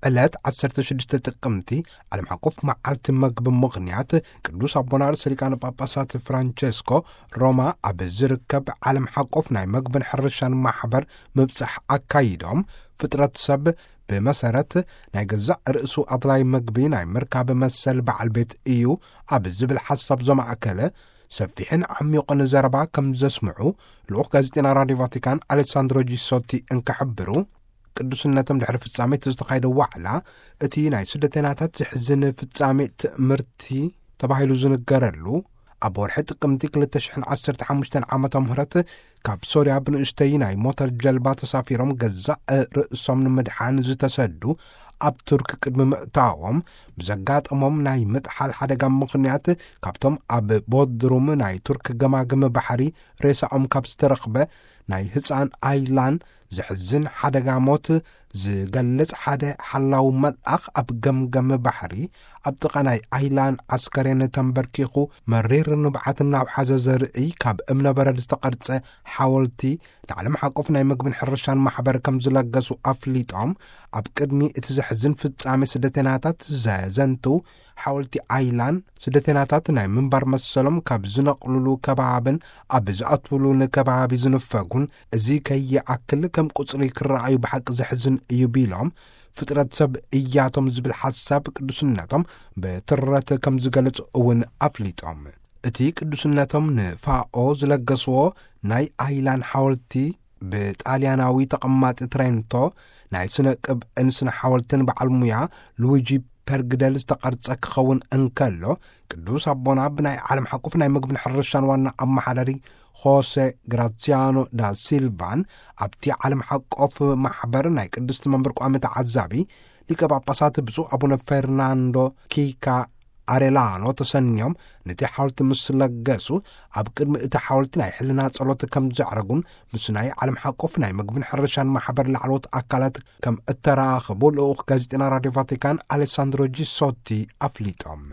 ዕለት ዓሰርተ ሽዱሽተ ጥቅምቲ ዓለም ሓቆፍ መዓልቲ መግቢ ምኽንያት፣ ቅዱስ ኣቦና ርእሰ ሊቃነ ጳጳሳት ፍራንቸስኮ ሮማ ኣብ ዝርከብ ዓለም ሓቆፍ ናይ መግብን ሕርሻን ማሕበር ምብጻሕ ኣካይዶም፣ ፍጥረት ሰብ ብመሰረት ናይ ገዛእ ርእሱ ኣድላይ መግቢ ናይ ምርካብ መሰል በዓል ቤት እዩ ኣብ ዝብል ሓሳብ ዘማእከለ ሰፊሕን ዓሚቑን ዘረባ ከም ዘስምዑ ልኡኽ ጋዜጠና ራድዮ ቫቲካን ኣሌሳንድሮ ጂሶቲ እንክሕብሩ፣ ቅዱስነቶም ድሕሪ ፍጻሜ እቲ ዝተኻየደ ዋዕላ፣ እቲ ናይ ስደተናታት ዘሕዝን ፍጻሜ ትእምርቲ ተባሂሉ ዝንገረሉ፣ ኣብ ወርሒ ጥቅምቲ ክልተ ሽሕን ዓሰርተ ሓሙሽተን ዓመተ ምህረት ካብ ሶርያ ብንእሽተይ ናይ ሞተር ጀልባ ተሳፊሮም ገዛእ ርእሶም ንምድሓን ዝተሰዱ ኣብ ቱርክ ቅድሚ ምእታዎም ብዘጋጠሞም ናይ ምጥሓል ሓደጋ ምኽንያት ካብቶም ኣብ ቦድሩም ናይ ቱርክ ገማግም ባሕሪ ሬሳኦም ካብ ዝተረኽበ ናይ ህፃን ኣይላን ዘሕዝን ሓደጋ ሞት ዝገልጽ ሓደ ሓላው መልኣኽ ኣብ ገምገም ባሕሪ ኣብ ጥቓ ናይ ኣይላን ዓስከሬን ተንበርኪኹ መሪር ንብዓት እናውሓዘ ዘርኢ ካብ እምነበረድ ዝተቐርጸ ሓወልቲ ንዓለም ሓቆፍ ናይ መግብን ሕርሻን ማሕበር ከም ዝለገሱ ኣፍሊጦም፣ ኣብ ቅድሚ እቲ ዘሕዝን ፍጻሜ ስደተናታት ዘዘንቱ ሓወልቲ ኣይላን ስደተናታት ናይ ምንባር መሰሎም ካብ ዝነቕሉሉ ከባብን ኣብ ዝኣትውሉን ከባቢ ዝንፈጉን፣ እዚ ከይኣክል ከም ቁጽሪ ክረኣዩ ብሓቂ ዘሕዝን እዩ ቢሎም፣ ፍጥረት ሰብ እያቶም ዝብል ሓሳብ ቅዱስነቶም ብትረት ከም ዝገልጹ እውን ኣፍሊጦም። እቲ ቅዱስነቶም ንፋኦ ዝለገስዎ ናይ ኣይላን ሓወልቲ ብጣልያናዊ ተቐማጢ ትሬንቶ ናይ ስነ ቅብእን ስነ ሓወልትን በዓል ሙያ ሉዊጂ ፐርግደል ዝተቐርጸ ክኸውን እንከሎ፣ ቅዱስ ኣቦና ብናይ ዓለም ሓቁፍ ናይ ምግብን ሕርሻን ዋና ኣመሓዳሪ ሆሴ ግራሲያኖ ዳ ሲልቫን ኣብቲ ዓለም ሓቆፍ ማሕበር ናይ ቅድስቲ መንበር ቋሚ ተዓዛቢ ሊቀ ጳጳሳት ብፁዕ ኣቡነ ፈርናንዶ ኪካ ኣሬላኖ ተሰንዮም ነቲ ሓወልቲ ምስ ለገሱ፣ ኣብ ቅድሚ እቲ ሓወልቲ ናይ ሕልና ጸሎት ከም ዘዕረጉን ምስ ናይ ዓለም ሓቆፍ ናይ ምግብን ሕርሻን ማሕበር ላዕለዎት ኣካላት ከም እተራኸቡ ልኡኽ ጋዜጠና ራድዮ ቫቲካን ኣሌሳንድሮ ጂሶቲ ኣፍሊጦም።